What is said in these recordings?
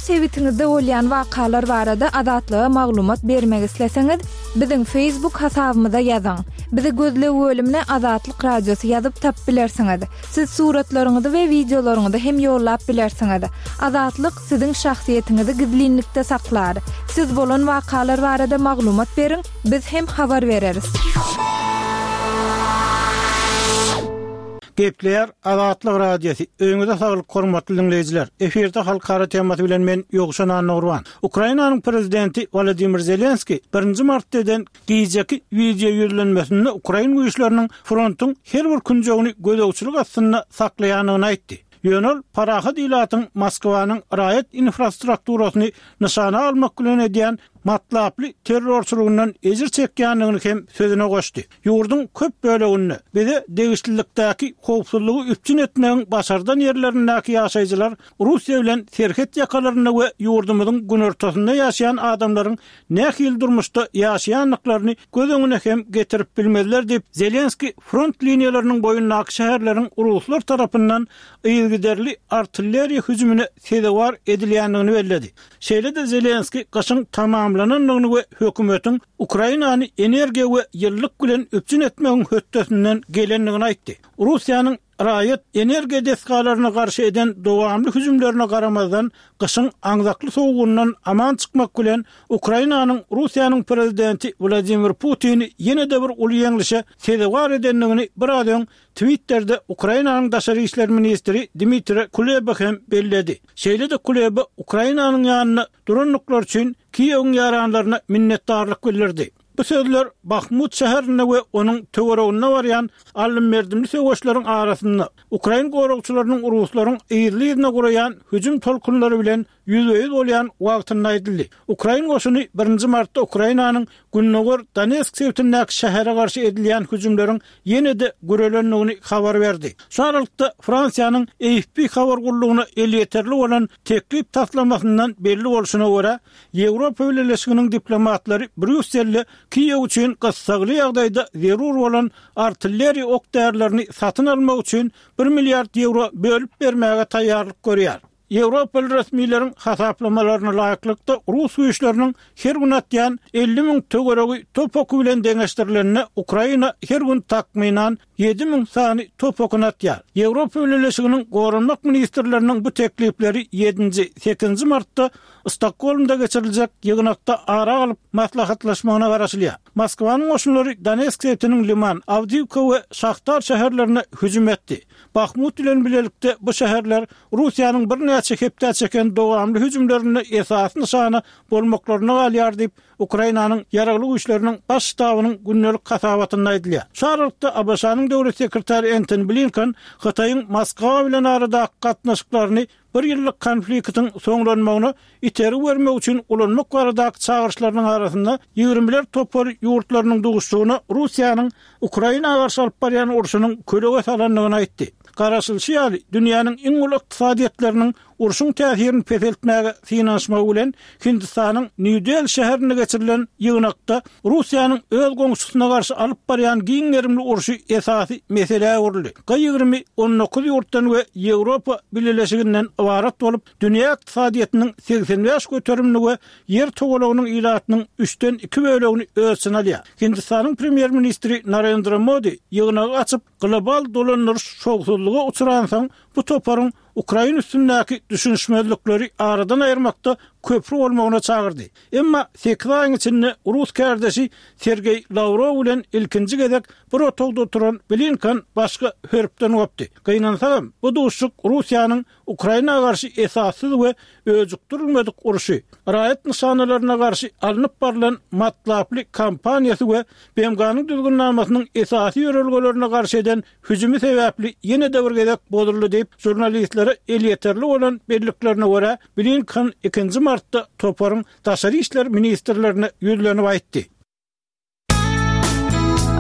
sebitiňizde bolýan wakalar barada Azatlyga maglumat bermek isleseňiz, biziň Facebook hasabymyza ýazyň. Bizi gözleg bölümine Azatlyk Radiosy ýazyp tapyp bilersiňiz. Siz suratlaryňyzy we wideolaryňyzy hem ýollap bilersiňiz. Azatlyk siziň şahsyýetiňizi gizlinlikde saklar. Siz bolan wakalar barada maglumat beriň, biz hem habar bereris. Gepleýär Azatlyk Radiosy, Öýüňize saglyk hormatly diňleýjiler! Efirde halkara temasy bilen men Ýowşan Annagurban. Ukrainanyň prezidenti Wolodymyr Zelenskiý birinji martda eden gijeki wideo ýüzlenmesinde ukrain güýçleriniň frontuň her bir künjegini gözegçilik astynda saklaýandygyny aýtdy. Ýöne ol parahat ilatyň Moskwanyň raýat infrastrukturasyny nyşana almak bilen edýän matlaply terrorçylygyndan ejir çekýändigini hem sözüne goşdy. Ýurduň köp böleginde, bize degişlilikdäki howpsuzlygy üpjün etmegiň başardan ýerlerindäki ýaşaýjylar Russiýa bilen serhet ýakalarynda we ýurdumyzyň günortasynda ýaşaýan adamlaryň nähili durmuşda ýaşaýandyklaryny göz öňüne hem getirip bilmezler diýip, Zelenskiý front liniýalarynyň boýundaky şäherleriň ruslar tarapyndan yzygiderli artilleriýa hüjümine sezewar edilýändigini belledi. Şeýle-de Zelenskiý gyşyň tamamlanandygyny we hökümetiň Ukrainany energiýa we ýylylyk bilen üpjün etmegiň hötdesinden gelendigini aýtdy. Russiýanyň raýat energiýa desgalaryna garşy eden dowamly hüjümlerine garamazdan, gyşyň aňzakly sowugyndan aman çykmak bilen, Ukrainanyň Russiýanyň prezidenti Wladimir Putini ýene-de bir uly ýeňlişe sezewar edendigini biraz öň Twitterde Ukrainanyň daşary işler ministri Dmitriý Kuleba hem belledi. Şeýle-de Kuleba Ukrainanyň ýanynda durandyklary üçin Kiýewiň ýaranlaryna minnetdarlyk bildirdi. Bu sözler Bahmut şäherinde we onuň töwereginde barýan aldym-berdimli söweşleriň arasynda, ukrain goragçylarynyň ruslaryň yzly-yzyna guraýan hüjüm tolkunlary bilen ýüzbe-ýüz bolýan wagtynda aýdyldy. Ukrain goşuny birinji martda Ukrainanyň gündogar Donetsk sebitindäki şähere garşy edilýän hüjümleriň ýene-de gürelendigini habar berdi. Şu aralykda, Fransiýanyň AFP habar gullugyna elýeterli bolan teklip taslamasyndan belli bolşuna görä, Ýewropa Bileleşiginiň diplomatlary Brýusselde Kiýew üçin gyssagly ýagdaýda zerur bolan artilleriýa ok-därilerini satyn almak üçin bir milliard ýewro bölüp bermäge taýýarlyk görýär. Ýewropaly resmileriň hasaplamalaryna laýyklykda, rus güýçleriniň her gün atýan 50 müň töweregi top oky bilen deňeşdirilende, Ukraina her gün takmynan 7000 sany top okuny atýar. Ýewropa Bileleşiginiň goranmak ministrleriniň bu teklipleri ýedinji, sekizinji martda Stokgolmda geçiriljek ýygnakda ara alyp maslahatlaşmagyna garaşylýar. Moskwanyň goşunlary Donetsk sebitiniň Liman, Awdiwka we Şahtar şäherlerine hüjüm etdi. Bahmut bilen bilelikde bu şäherler Russiýanyň birnäçe hepdä çeken dowamly hüjümlerinde esasy nyşana bolmaklaryna galýar diýip, Ukrainanyň Ýaragly Güýçleriniň Baş ştabynyň gündelik hasabatynda aýdylýar. Şu aralykda, ABŞ-nyň döwlet sekretary Entoni Blinken Hytaýyň Moskwa bilen aradaky gatnaşyklaryny bir ýyllyk konfliktiň soňlanmagyna itergi bermek üçin ulanmak baradaky çagyryşlarynyň arasynda ýigrimiler topary ýurtlarynyň duşuşygyna Russiýanyň Ukraina garşy alyp barýan urşunyň kölege salandygyny aýtdy. Garaşylyşy ýaly, dünýäniň iň uly ykdysadyýetleriniň urşuň täsirini peseltmäge synanyşmagy bilen Hindistanyň Nýu-Deli şäherinde geçirilen ýygnakda Russiýanyň öz goňşusyna garşy alyp barýan giň gerimli urşy esasy meselä öwrüldi. G 20 19 ýurtdan we Ýewropa Bileleşiginden ybarat bolup, dünýä ykdysadyýetiniň 85 göterimini we Ýer togalagynyň ilatynyň üçden iki bölegini öz içine alýar. Hindistanyň premýer-ministri Narendra Modi ýygnagy açyp, global dolandyryş şowsuzlyga uçransoň, bu toparyň ukrain üstündäki düşünişmezlikleri aradan aýyrmakda köpri bolmagyna çagyrdy. Emma sekiz aýyň içinde rus kärdeşi Sergeý Lawrow bilen ilkinji gezek bir otagda oturan Blinken başga hörpden gopdy. Gynansagam, bu duşuşyk Russiýanyň Ukraina garşy esassyz we öjükdirilmedik urşy, raýat nyşanalaryna garşy alnyp barlan matlaply kampaniýasy we BMG-niň Düzgünnamasynyň esasy ýörelgelerine garşy eden hüjümi sebäpli ýene-de bir gezek bozuldy diýip, žurnalistlere elýeterli bolan belliklerine görä, Blinken ikinji martda toparyň daşary işler ministrlerine ýüzlenip aýtdy.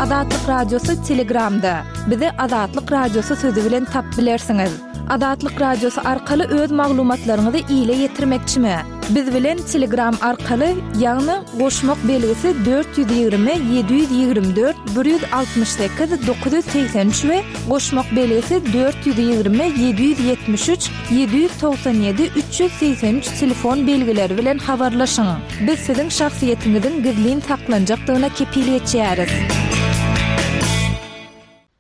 Azatlyk Radiosy Telegramda. Bizi Azatlyk Radiosy sözi bilen tapyp bilersiňiz. Azatlyk Radiosy arkaly öz maglumatlaryňyzy ile ýetirmekçimi? Biz bilen Telegram arkaly, ýagny goşmak belgisi 420 724 168 983 we goşmak belgisi 420 773 797 383 telefon belgileri bilen habarlaşyň. Biz siziň şahsyýetiňiziň gizlin saklanjakdygyna kepil geçýäris.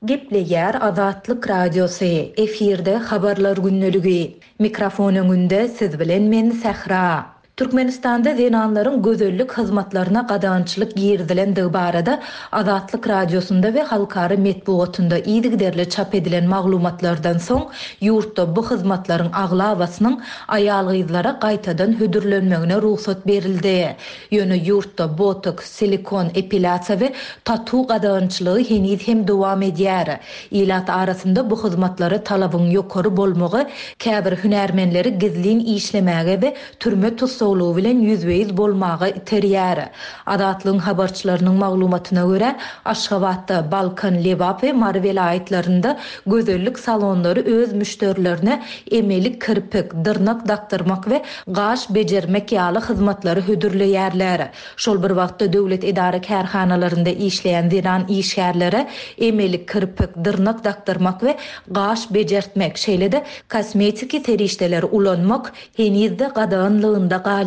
Gepleýär Azatlyk Radiosy, efirde Habarlar gündeligi. Mikrofon öňünde siz bilen men Sähra. Türkmenistanda zenanlaryň gözellik hyzmatlaryna gadagançylyk girizilendigi barada Azatlyk Radiosynda we halkara metbugatynda yzygiderli çap edilen maglumatlardan soň, ýurtda bu hyzmatlaryň aglabasynyň aýal-gyzlara gaýtadan hödürlenmegine rugsat berildi. Ýöne ýurtda botoks, silikon, epilýasiýa we tatu gadagançylygy heniz hem dowam edýär. Ilat arasynda bu hyzmatlara talabyň ýokary bolmagy käbir hünärmenleri gizlin işlemäge we türme tussaglygy bilen ýüzbe-ýüz bolmaga iterýär. Azatlygyň habarçylarynyň maglumatyna görä, Aşgabatda, Balkan, Lebap we Mary welaýatlarynda gözellik salonlary öz müşderilerine emeli kirpik, dyrnak dakdyrmak we gaş bejermek ýaly hyzmatlary hödürleýärler. Şol bir wagtda, döwlet edara-kärhanalarynda işleýän zenan işgärlere emeli kirpik, dyrnak dakdyrmak we gaş bejertmek, şeýle-de kosmetiki serişdeleri ulanmak heniz-de gadaganlygynda galýar.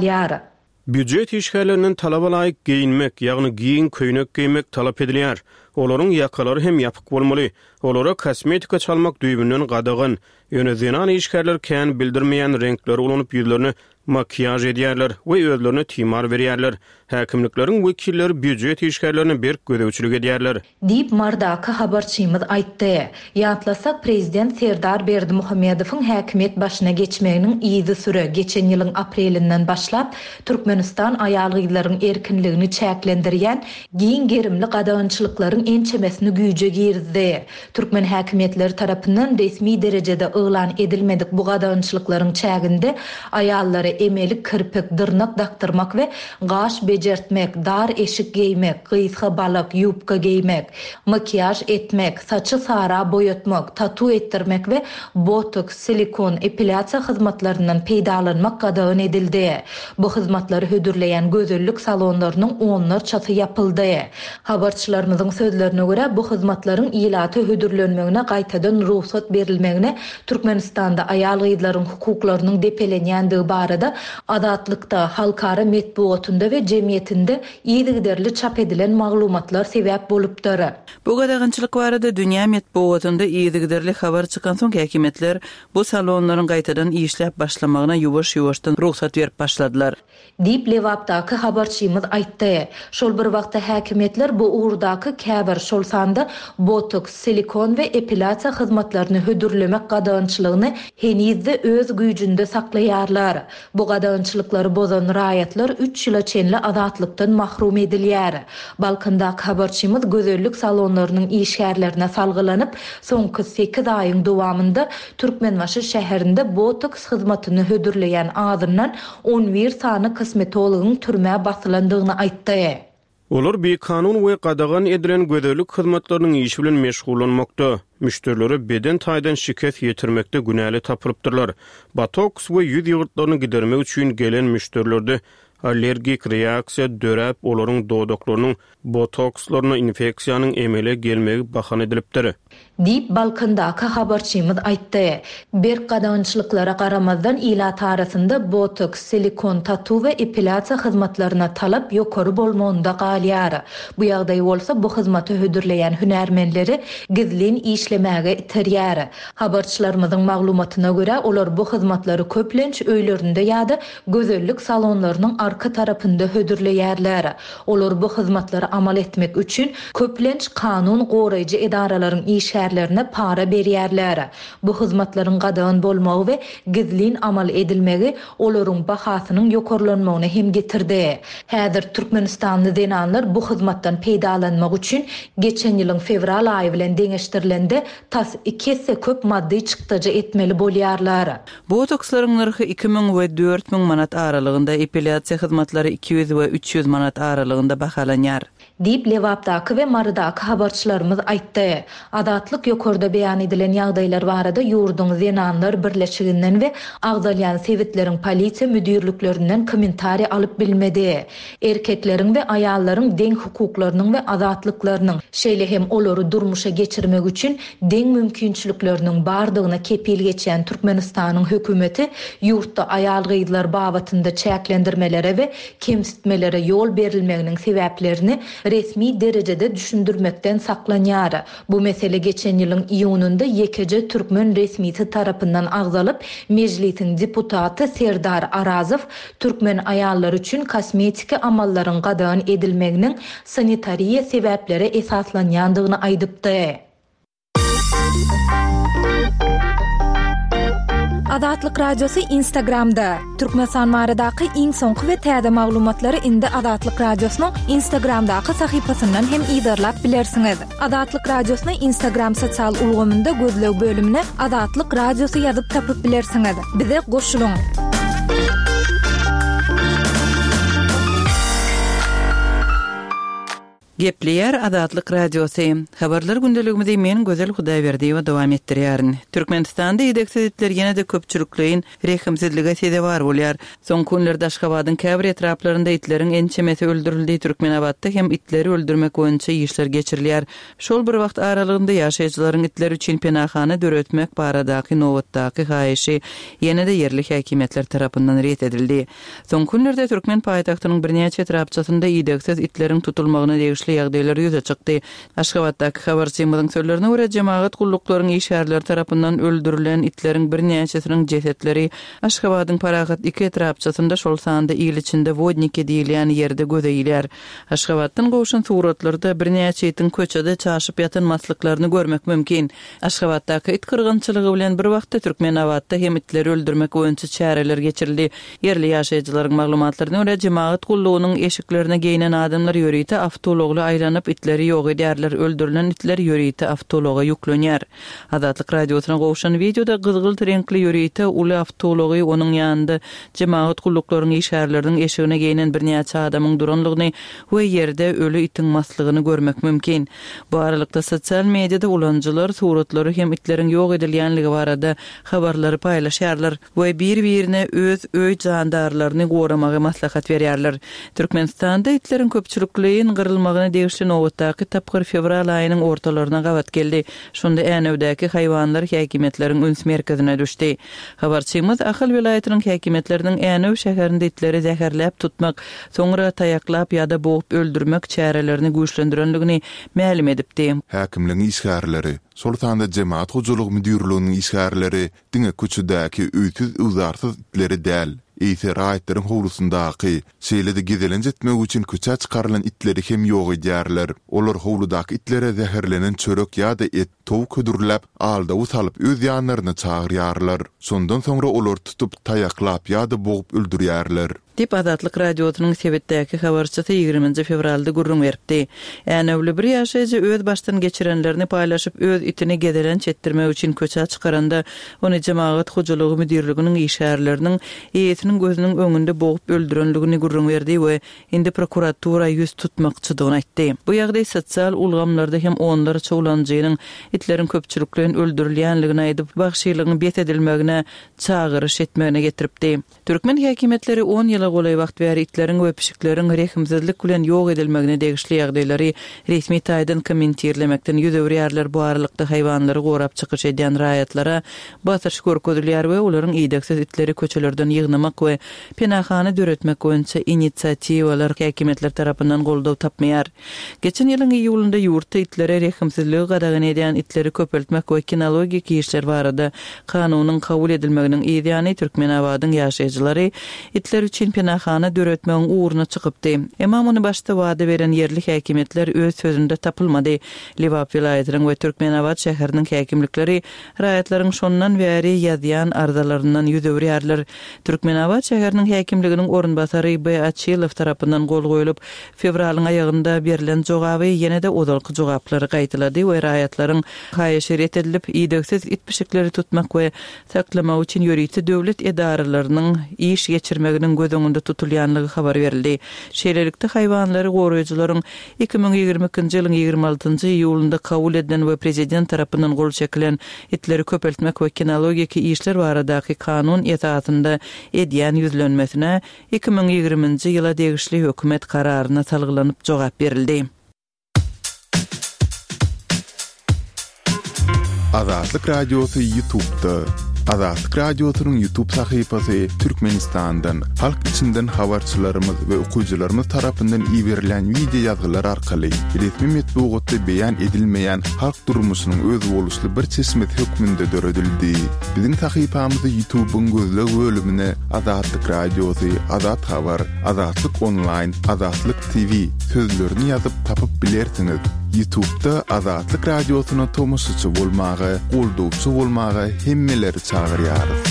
Býujet işgärlerinden talaba laýyk geýinmek, ýagny giň köýnek geýmek talap edilýär. Olaryň ýakalary hem ýapyk bolmaly. Olara kosmetika çalmak düýbünden gadagan. Ýöne zenan işgärler kän bildirmeýän reňkleri ulanyp ýüzlerine makiýaž edýärler we özlerine timar berýärler. Häkimlikleriň wekilleri býujet işgärlerine berk gözegçilik edýärler. Diýip, Marydaky habarçymyz aýtdy. Ýatlasak, prezident Serdar Berdimuhamedowyň häkimiýet başyna geçmeginiň yzysüre, geçen ýylyň aprelinden başlap, Türkmenistan aýal-gyzlaryň erkinligini çäklendirýän giň gerimli gadagançylyklaryň ençemesini güýje girizdi. Türkmen häkimiýetleri tarapyndan resmi derejede yglan edilmedik bu gadagançylyklaryň çäginde aýallara emeli kirpik, dyrnak dakdyrmak we gaş bejertmek, dar eşik geýmek, gysga balak, ýubka geýmek, makiýaž etmek, saçy sara boýatmak, tatu etdirmek we botoks, silikon, epilýasiýa hyzmatlaryndan peýdalanmak gadagan edildi. Bu hyzmatlary hödürleýän gözellik salonlarynyň onlarçasy ýapyldy. Habarçylarymyzyň sözlerine görä, bu hyzmatlaryň ilata hödürlenmegine gaýtadan rugsat berilmegine Türkmenistanda aýal-gyzlaryň hukuklarynyň depelenýändigi barada Azatlykda, halkara metbugatynda we jemgyýetinde yzygiderli çap edilen maglumatlar sebäp bolupdyr. Bu gadagançylyk barada dünýä metbugatynda yzygiderli habar çykansoň häkimiýetler bu salonlaryň gaýtadan işläp başlamagyna ýuwaş-ýuwaşdan rugsat berip başladylar. Diýip, Lebapdaky habarçymyz aýtdy. Şol bir wagtda häkimiýetler bu ugurdaky käbir, şol sanda botoks, silikon we epilýasiýa hyzmatlaryny hödürlemek gadagançylygyny heniz-de öz güýjünde saklaýarlar. Bu gadagançylyklary bozan raýatlar üç ýyla çenli azatlykdan mahrum edilýär. Balkandaky habarçymyz gözellik salonlarynyň işgärlerine salgylanyp, soňky sekiz aýyň dowamynda Türkmenbaşy şäherinde botoks hyzmatyny hödürleýän azyndan 11 sany kosmetologyň türmä basylandygyny aýtdy. Olar bikanun we gadagan edilen gözellik hyzmatlarynyň işi bilen meşgullanmakda, müşderilere beden taýdan şikes ýetirmekde günäli tapylypdyrlar. Botoks we ýüz ýygyrtlaryny gidermek üçin gelen müşderilerde allergik reaksiýa döräp, olaryň dodaklarynyň botokslaryna infeksiýanyň emele gelmegi bahana edilipdir. Diýip, Balkandaky habarçymyz aýtdy. Berk gadagançylyklara garamazdan, ilat arasynda botoks, silikon, tatu we epilýasiýa hyzmatlaryna talap ýokary bolmagynda galýar. Bu ýagdaý bolsa bu hyzmaty hödürleýän hünärmenleri gizlin işlemäge iterýär. Habarçylarymyzyň maglumatyna görä, olar bu hyzmatlary köplenç öýlerinde ýa-da gözellik salonlarynyň arka tarapynda hödürleýärler. Olar bu hyzmatlary amal etmek üçin, köplenç, kanun goraýjy edaralaryň işgärlerine para berýärler. Bu hyzmatlaryň gadagan bolmagy we gizlin amal edilmegi olaryň bahasynyň ýokarlanmagyna hem getirdi. Häzir türkmenistanly zenanlar bu hyzmatdan peýdalanmak üçin geçen ýylyň fewral aýy bilen deňeşdirilende tas iki esse köp maddy çykdajy etmeli bolýarlar. Botokslaryň nyrhy 2000 we 4000 manat aralygynda, epilýasiýa hyzmatlary 200 we 300 manat aralygynda bahalanýar. Diýip, Lebapdaky we Marydaky habarçylarymyz aýtdy. Azatlyk. Azatlyk ýokarda beýan edilen ýagdaýlar barada ýurduň Zenanlar birleşiginden we agzalýan sebitleriň polisiýa müdirliklerinden kommentariý alyp bilmedi. Erkekleriň we aýallaryň deň hukuklarynyň we azatlyklarynyň, şeýle hem olary durmuşa geçirmek üçin deň mümkinçilikleriniň bardygyna kepil geçýän Türkmenistanyň hökümeti ýurtda aýal-gyzlar babatynda çäklendirmelere we kemsitmelere ýol berilmeginiň sebäplerini resmi derejede düşündirmekden saklanýar. Bu mesele geçen ýylyň iýunynda ýekeje türkmen resmisi tarapyndan agzalyp, Mejlisiň deputaty Serdar Arazow türkmen aýallary üçin kosmetiki amallaryň gadagan edilmeginiň sanitariýa sebäplere esaslanýandygyny aýdypdy. Azatlyk Radiosy Instagramda, Türkmenistan baradaky iň soňky we täze maglumatlary indi Azatlyk Radiosynyň Instagramdaky sahypasyndan hem yzarlap bilersiňiz. Azatlyk Radiosyny Instagram sosial ulgamynda gözleg bölümine Azatlyk Radiosy ýazyp tapyp bilersiňiz. Bize goşulyň! Gepleýär Azatlyk Radiosy. Habarlar gündeligimizi men Gözel Hudaýberdiýewa dowam etdirýärin. Türkmenistanda idegsiz itler ýene-de köpçülikleýin rehimsizlige sezewar bolýar. Soňky günlerde Aşgabadyň käbir etraplarynda itleriň ençemesi öldürildi, Türkmenabatda hem itleri öldürmek boýunça işler geçirilýär. Şol bir wagt aralygynda ýaşaýjylaryň itler üçin penahana döretmek baradaky nobatdaky haýyşy ýene-de ýerli häkimiýetler tarapyndan ret edildi. Soňky günlerde türkmen paýtagtynyň birnäçe etrapçasynda idegsiz itleriň tutulmagyna degişli ýagdaýlar ýüze çykdy. Aşgabatdaky habarçymyzyň sözlerine görä, jemagat gulluklaryň işgärleri tarapyndan öldürilen itleriň birnäçesiniň jesetleri Aşgabadyň Parahat iki etrapçasynda, şol sanda il içinde Wodniki diýilýän ýerde göze ilýär. Aşgabatdan gowşan suratlarda birnäçe itiň köçede çaşyp ýatan maslyklaryny görmek mümkin. Aşgabatdaky it gyrgynçylygy bilen bir wagtda Türkmenabatda hem itleri öldürmek boýunça çäreler geçirildi. Ýerli ýaşaýjylaryň maglumatlaryna görä, jemagat gullugynyň eşiklerine geýnen adamlar ýörite awtoulagly aýlanyp, itleri ýok edýärler, öldürilen itler ýörite awtoulaga ýüklenýär. Azatlyk Radiosyna gowşan wideoda gyzgylt reňkli ýörite uly awtoulagy, onuň ýanynda jemagat gulluklaryň işgärleriniň eşigine geýnen birnäçe adamyň duranlygyny we ýerde öli itiň maslygyny görmek mümkin. Bu aralykda, sosial mediada ulanyjylar suratlary hem itleriň ýok edilýänligi barada habarlary paýlaşýarlar we bir-birine öz öý jandarlaryny goramagy maslahat berýärler. Türkmenistanda itleriň köpçülikleýin gyrylmagyna degişli nobatdaky tapgyr fewral aýynyň ortalaryna gabat geldi. Şonda Änewdäki haýwanlar häkimiýetleriň üns merkezine düşdi. Habarçymyz Ahal welaýatynyň häkimiýetleriniň Änew şäherinde itleri zäherläp tutmak, soňra taýaklap ýa-da bogup öldürmek çärelerini güýçlendirendigini mälim edipdi. Häkimligiň işgärleri, şol sanda Jemagat hojalygy müdirliginiň işgärleri diňe köçedäki öýsüz-öwzarsyz itleri däl, eýse raýatlaryň howlusyndaky, şeýle-de gezelenç etmek üçin köçä çykarylan itleri hem ýok edýärler. Olar howludaky itlere zäherlenen çörek ýa-da et, towuk hödürläp, aldawy salyp öz ýanlaryna çagyrýarlar. Şondan soňra olary tutup, taýaklap ýa-da bogup öldürýärler. Diýip, Azatlyk Radiosynyň sebitdäki habarçysy ýigriminji fewralda gürrüň beripdi. Änewli bir ýaşaýjy öz başdan geçirenlerini paýlaşyp, öz itini gezelenç etdirmek üçin köçä çykaranda, ony jemagat hojalygy müdirliginiň işgärleriniň eýesiniň gözüniň öňünde bogup öldürenligini gürrüň berdi we indi prokuratura ýüz tutmakçydygyny aýtdy. Bu ýagdaý sosial ulgamlarda hem onlarça ulanyjynyň itleriň köpçülikleýin öldürilýänligini aýdyp, wagşylygyň bes edilmegine çagyryş etmegine getiripdi. Türkmen häkimiýetleri on ýyla golaý wagt bäri itleriň we pişikleriň rehimsizlik bilen ýok edilmegine degişli ýagdaýlary resmi taýdan kommentirlemekden ýüz öwürýärler, bu aralykda haýwanlary gorap çykyş edýän raýatlara basyş görkezilýär we olaryň idegsiz itleri köçelerden ýygnamak we penahana döretmek boýunça inisiatiwalar häkimiýetler tarapyndan goldaw tapmaýar. Geçen ýylyň iýulynda ýurtda itlere rehimsizligi gadagan edýän itleri köpeltmek we kinologik işler barada kanunyň kabul edilmeginiň yz ýany Türkmenabadyň ýaşaýjylary itler üçin penahana döretmegiň ugruna çykypdy. Emma muny başda wada beren ýerli häkimiýetler öz sözünde tapylmady. Lebap welaýatynyň we Türkmenabat şäheriniň häkimlikleri raýatlaryň şondan bäri ýazýan arzalaryndan ýüz öwürýärler. Türkmenabat şäheriniň häkimliginiň orunbasary B. Açylow tarapyndan gol goýlup, Fewralyň aýagynda berlen jogaby ýene-de ozalky jogaplary gaýtalady we raýatlaryň haýyşy ret edilip, idegsiz it-pişikleri tutmak we saklamak üçin ýörite döwlet edaralarynyň iş geçirmeginiň göz. öňünde tutulýanlygy habar berildi. Şeýlelikde, haýwanlary goraýjylaryň 2022-nji ýylyň 26-njy iýulynda kabul edilen we prezident tarapyndan gol çekilen Itleri köpeltmek we kinologiki işler baradaky kanun esasynda edýän ýüzlenmesine 2020-nji ýyla degişli hökümet kararyna salgylanyp jogap berildi. Azatlyk Radiosy Ýutubda. Azatlyk Radiosynyň Ýutub sahypasy Türkmenistandan, halk içinden habarçylarymyz we okyjylarymyz tarapyndan iberilýän wideo ýazgylar arkaly resmi metbugatda beýan edilmeýän halk durmuşynyň özboluşly bir çeşmesi hökmünde döredildi. Biziň sahypamyzy Ýutubyň gözleg bölümine Azatlyk Radiosy, Azat Habar, Azatlyk Onlaýn, Azatlyk TV sözlerini ýazyp tapyp bilersiňiz. Ýutubda Azatlyk Radiosyna tomaşaçy bolmaga, goldawçy bolmaga hemmeleri çagyrýarys.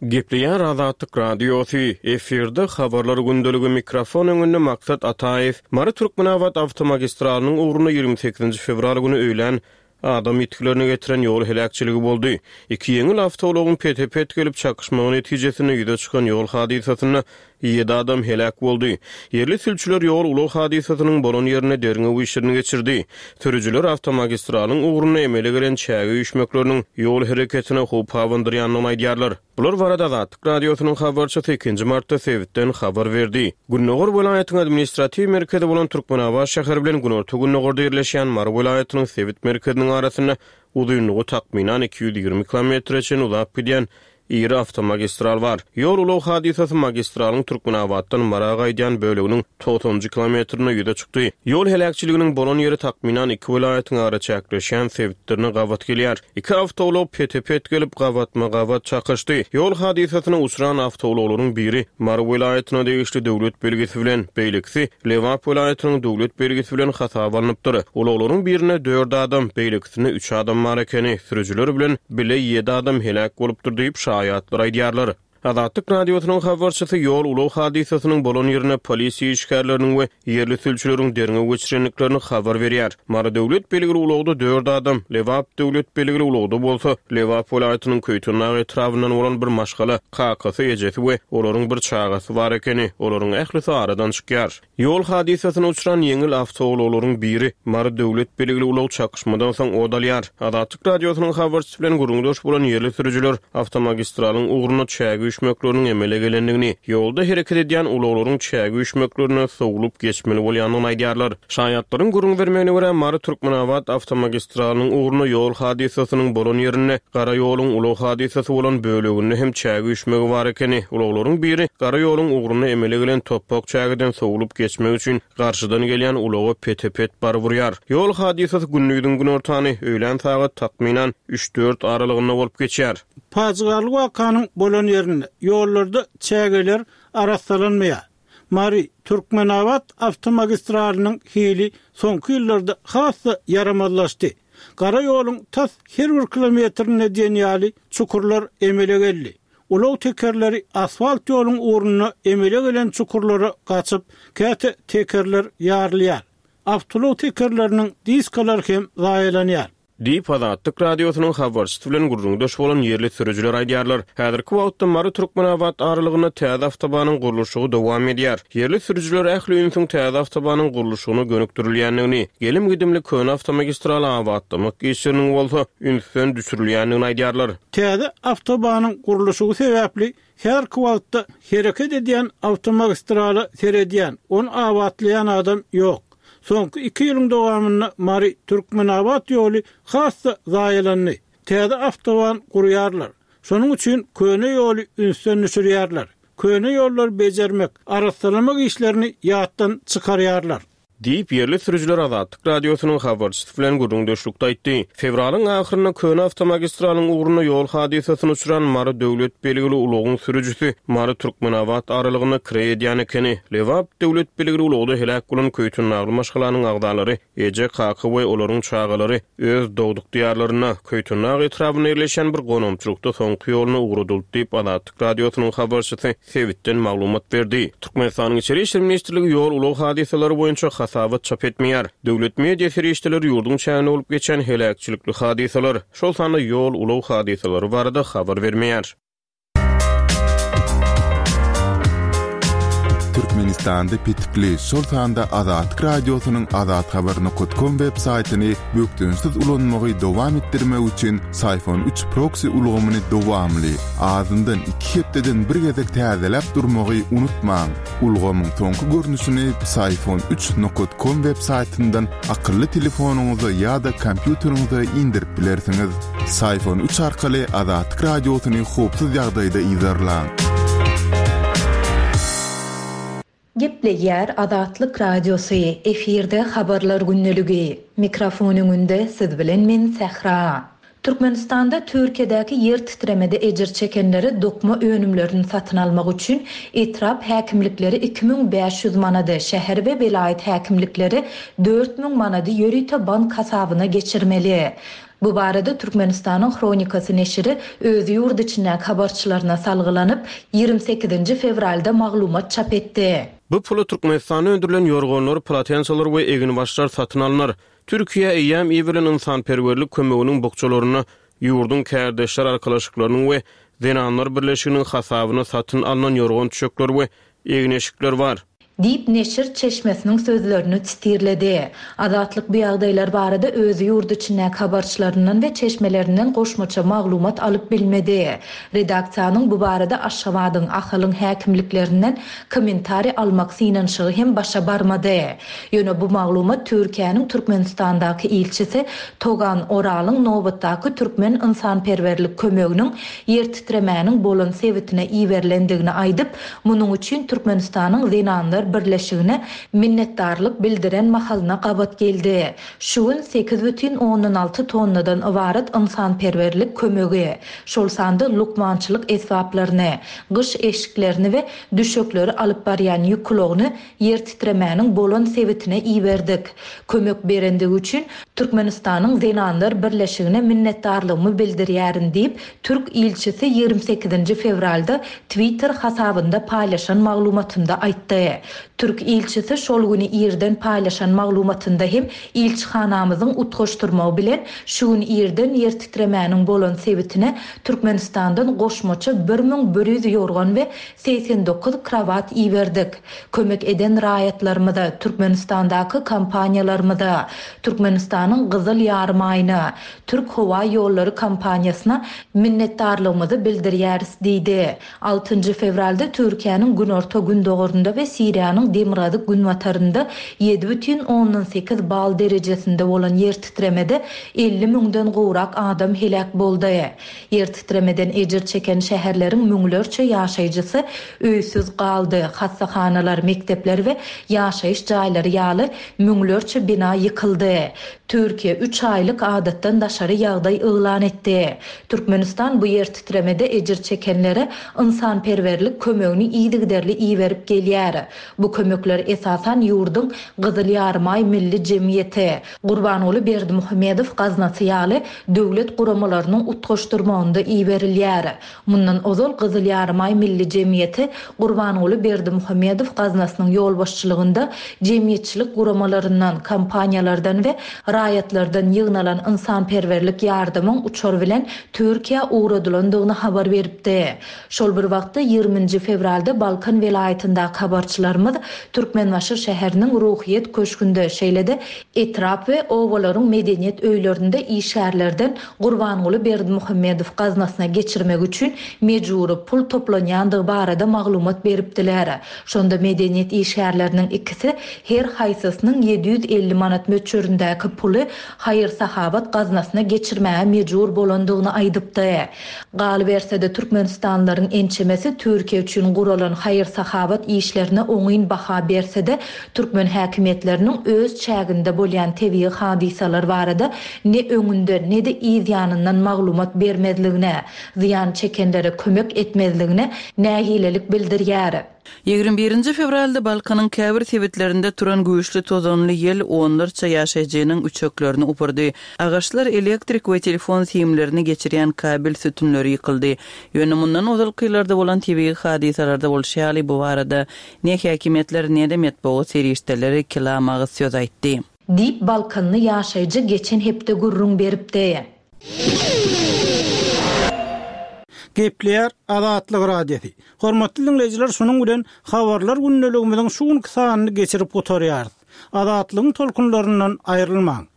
Gepleýär Azatlyk Radiosy, efirde Habarlar gündeligi, mikrofon öňünde Maksat Ataýew. Mary-Türkmenabat awtomagistralynyň ugrunda 28 fewral güni öýlän Adam ýitgilerine getiren ýol heläkçiligi boldy. Iki ýeňil awtoulagyň pete-pet gelip çakyşmagy netijesinde ýüze çykan ýol hadysasynda ýedi adam heläk boldy. Ýerli sülçüler ýol-ulag hadysasynyň bolan ýerinde derňew işlerini geçirdi. Sürüjiler awtomagistralyň ugrunda emele gelen çäge üýşmekleriniň ýol hereketine howp abandyrýandygyny aýdýarlar. Bular barada Azatlyk Radiosynyň habarçysy ikinji martda sebitden habar berdi. Gündogar welaýatyň administratiw merkezi bolan Türkmenabat şäheri bilen günorta-gündogarda ýerleşýän Mary welaýatynyň sebit merkeziniň arasynda uzynlygy takmynan 220 kilometre çenli uzap gidýän iri awtomagistral bar. Ýol-ulag hadysasy magistralyň Türkmenabatdan Mara gaýdýan böleginiň togsanynjy kilometrinde ýüze çykdy. Ýol heläkçiliginiň bolan ýeri takmynan iki welaýatyň araçäkleşýän sebitlerine gabat gelýär. Iki awtoulag pete-pet gelip, gabatma-gabat çakyşdy. Ýol hadysasyna uçran awtoulaglaryň biri Mary welaýatyna degişli döwlet belgisi bilen, beýlekisi Lebap welaýatynyň döwlet belgisi bilen hasaba alnypdyr. Ulaglaryň birinde dört adam, beýlekisinde üç adam bar ekeni. Sürüjiler bilen bile ýedi adam heläk bolupdyr diýip, şaýatlar aýdýarlar. Azatlyk Radiosynyň habarçysy ýol-ulag hadysasynyň bolan ýerinde polisiýa işgärleriniň we ýerli sülçüleriň derňew geçirendiklerini habar berýär. Mary döwlet belgili ulagda dört adam, Lebap döwlet belgili ulagda bolsa, Lebap welaýatynyň Köýtendag etrabyndan bolan bir maşgala, kakasy, ejesi we olaryň bir çagasy bar ekeni. Olaryň ählisi aradan çykýar. Ýol hadysasyna uçran ýeňil awtoulaglaryň biri Mary döwlet belgili ulag çakyşmadan soň ot alýar. Azatlyk Radiosynyň habarçysy bilen gürrüňdeş bolan ýerli sürüjiler awtomagistralyň ugrunda çäge üýşmekleriniň emele gelendigini, ýolda hereket edýän ulaglaryň çäge üýşmeklerine sowlup geçmeli bolýandygyny aýdýarlar. Şaýatlaryň gürrüň bermegine görä, Mary-Türkmenabat awtomagistralynyň ugrunda ýol hadysasynyň bolan ýerinde gara ýoluň ulag hadysasy bolan böleginde hem çäge üýşmegi bar ekeni. Ulaglaryň biri gara ýoluň ugrunda emele gelen topbak çägeden sowlup geçmek üçin garşydan gelýän ulaga pete-pet baryp urýar. Ýol hadysasy gündiziň günortany, öýlän sagat takmynan üç-dört aralygynda bolup geçýär. Pajygaly wakanyň bolan ýerinde ýollarda çägeler arassalanmaýar. Mary, Türkmenabat awtomagistralynyň hili soňky ýyllarda has-da ýaramazlaşdy. Gara ýoluň tas her bir kilometrinde diýen ýaly çukurlar emele geldi. Ulag tekerleri asfalt ýoluň ugrunda emele gelen çukurlara gaçyp, käte tekerler ýarylýar. Awtoulag tekerleriniň diskalary hem zaýalanýar. Diýip, Azatlyk Radiosynyň habarçysy bilen gürrüňdeş bolan ýerli sürüjiler aýdýarlar. Häzirki wagtda Mary-Türkmenabat aralygynda täze awtobanyň gurluşygy dowam edýär. Ýerli sürüjiler ähli ünsüň täze awtobanyň gurluşygyna gönükdirilýändigini, gelim-gidimli köne awtomagistraly abatlamak işleriniň bolsa ünsden düşürilýändigini aýdýarlar. Täze awtobanyň gurluşygy sebäpli häzirki wagtda hereket edýän awtomagistrala seredýän, ony abatlaýan adam ýok. Soňky iki ýylyň dowamynda Mary, Türkmenabat ýoly has-da zaýalandy. Täze awtoban gurýarlar. Şonuň üçin köne ýoly ünsden düşürýärler. Köne ýollary bejermek, arassalamak işlerini ýatdan çykarýarlar. Diýip, ýerli sürüjiler Azatlyk Radiosynyň habarçysy bilen gürrüňdeşlikde aýtdy. Fewralyň ahyrynda köne awtomagistralyň ugrunda ýol hadysasyna uçran Mary döwlet belgili ulagyň sürüjisi Mary-Türkmenabat aralygynda kireý edýän ekeni. Lebap döwlet belgili ulagda heläk bolan köýtendagly maşgalanyň agzalary, eje, kaka we olaryň çagalary öz dogduk diýarlarynda, Köýtendag etrabynda ýerleşýän bir gonamçylykda soňky ýoluna ugradyldy diýip, Azatlyk Radiosynyň habarçysy sebitden maglumat berdi. Türkmenistanyň Içeri işler ministrligi ýol-ulag hadysalary boýunça hasabat çap etmeýär. Döwlet media serişdeleri ýurduň çäginde bolup geçen heläkçilikli hadysalar, şol sanda ýol-ulag hadysalary barada habar bermeýär. Türkmenistanda petikli, şol sanda Azatlyk Radiosynyň azathabar nokat kom web saýtyny bökdençsiz ulanmagy dowam etdirmek üçin Syfon üç proksi ulgamyny dowamly, azyndan iki hepdeden bir gezek täzeläp durmagy unutmaň. Ulgamyň soňky görnüşini Psiphon üç nokat kom web saýtyndan akylly telefonyňyza ýa-da kompýuteriňize indirip bilersiňiz. Psiphon üç arkaly Azatlyk Radiosyny howpsuz ýagdaýda yzarlaň. Gepleýär Azatlyk Radiosy, efirde Habarlar gündeligi. Mikrofon öňünde siz bilen men Sähra. Türkmenistanda Türkiýedäki ýer titremede ejir çekenlere dokma önümlerini satyn almak üçin etrap häkimlikleri 2500 manady, şäher we welaýat häkimlikleri 4000 manady ýörite bank hasabyna geçirmeli. Bu barada Türkmenistanyň Hronikasy neşiri öz ýurt içindäki habarçylaryna salgylanyp, ýigrimi sekizinji fewralda maglumat çap etdi. Bu pula Türkmenistanda öndürilen ýorganlar, polotensalar we eginbaşlar satyn alnar. Türkiýä eýýäm iberilen ynsanperwerlik kömeginiň bukjalarynda ýurduň kärdeşler arkalaşyklarynyň we Zenanlar birleşiginiň hasabyna satyn alnan ýorgan-düşekler we egin-eşikler bar. Diýip, neşir çeşmesiniň sözlerini sitirledi. Azatlyk bu ýagdaýlar barada öz ýurt içindäki habarçylaryndan we çeşmelerinden goşmaça maglumat alyp bilmedi. Redaksiýanyň bu barada Aşgabadyň, Ahalyň häkimliklerinden kommentariý almak synanyşygy hem başa barmady. Ýöne bu maglumat Türkiýäniň Türkmenistandaky ilçisi Togan Oralyň nobatdaky türkmen ynsanperwerlik kömeginiň ýertitremäniň bolan sebitine iberilendigini aýdyp, munuň üçin Türkmenistanyň Zenanlar birleşigine minnetdarlyk bildiren mahalyna gabat geldi. Şu gün 8,6 tonnadan ybarat ynsanperwerlik kömegi, şol sanda lukmançylyk esbaplaryny, gyş eşiklerini we düşekleri alyp barýan ýük ulagyny ýer titremäniň bolan sebitine iberdik. Kömek berendigi üçin Türkmenistanyň Zenanlar birleşigine minnetdarlygymy bildirýärin diýip, türk ilçisi ýigrimi sekizinji fewralda Twitter hasabynda paýlaşan maglumatynda aýtdy. Türk ilçisi şol güni irden paýlaşan maglumatynda hem ilçihanamyzyň utgaşdyrmagy bilen şu gün irden ýer titremäniň bolan sebitine Türkmenistandan goşmaça 1100 ýorgan we 89 krowat iberdik. Kömek eden raýatlarymyza, Türkmenistandaky kompaniýalarymyza, Türkmenistanyň Gyzyl Ýarymaýyna, Türk howa ýollary kompaniýasyna minnetdarlygymyzy bildirýäris diýdi. Altynjy fewralda Türkiýäniň günorta-gündogarynda we Siriýanyň demirgazyk-günbatarynda 7,8 bal derejesinde bolan ýertitremede 50 müňden gowrak adam heläk boldy. Ýer titremeden ejir çeken şäherleriň müňlerçe ýaşaýjysy öýsüz galdy, hassahanalar, mekdepler we ýaşaýyş jaýlary ýaly müňlerçe bina ýykyldy. Türkiýe üç aýlyk adatdan daşary ýagdaý yglan etdi. Türkmenistan bu ýer titremede ejir çekenlere ynsanperwerlik kömegini yzygiderli iberip gelýär. Bu kömekler esasan ýurduň Gyzyl Ýarymaý Milli jemgyýeti, Gurbanguly Berdimuhamedow gaznasy ýaly döwlet guramalarynyň utgaşdyrmagynda iberilýär. Mundan ozal Gyzyl Ýarymaý Milli jemgyýeti Gurbanguly Berdimuhamedow gaznasynyň ýolbaşçylygynda jemgyýetçilik guramalaryndan, kompaniýalardan we raýatlardan ýygnalan ynsanperwerlik ýardamyň uçar bilen Türkiýä ugradylandygyny habar beripdi. Şol bir wagtda, ýigrimi nji fewralda Balkan welaýatyndaky habarçylarymyz Türkmenbaşy şäheriniň Ruhyýet köşgünde, şeýle-de etrap we obalaryň medeniýet öýlerinde işgärlerden Gurbanguly Berdimuhamedow gaznasyna geçirmek üçin mejbury pul toplanýandygy barada maglumat beripdiler. Şonda medeniýet işgärleriniň ikisi her haýsysynyň 750 manat möçberindäki puly haýyr-sahawat gaznasyna geçirmäge mejbur bolandygyny aýdypdy. Galyberse-de, türkmenistanlylaryň ençemesi Türkiýe üçin guralan haýyr-sahawat işlerine oňyn baha berse-de, türkmen häkimiýetleriniň öz çäginde bolýan tebigy hadysalar barada ne öňünden, ne-de yz ýanyndan maglumat bermezligine, zyýan çekenlere kömek etmezligine nägilelik bildirýär. 21 fewralda Balkanyň käbir sebitlerinde turan güýçli tozanly ýel onlarça ýaşaýjynyň üçeklerini upurdy. Agaçlar, elektrik we telefon simlerini geçirýän kabel sütünleri ýykyldy. Ýöne mundan ozalky ýyllarda bolan tebigy hadysalarda bolşy ýaly, bu barada ne häkimiýetler, ne-de metbugat serişdeleri kelam agyz söz aýtdy. Diýip, balkanly ýaşaýjy geçen hepde gürrüň beripdi. Gepleýär Azatlyk Radiosy. Hormatly diňleýjiler şunuň bilen Habarlar gündeligimiziň şu günki sanyny geçirip gutarýarys. Azatlygyň tolkunlaryndan aýrylmaň.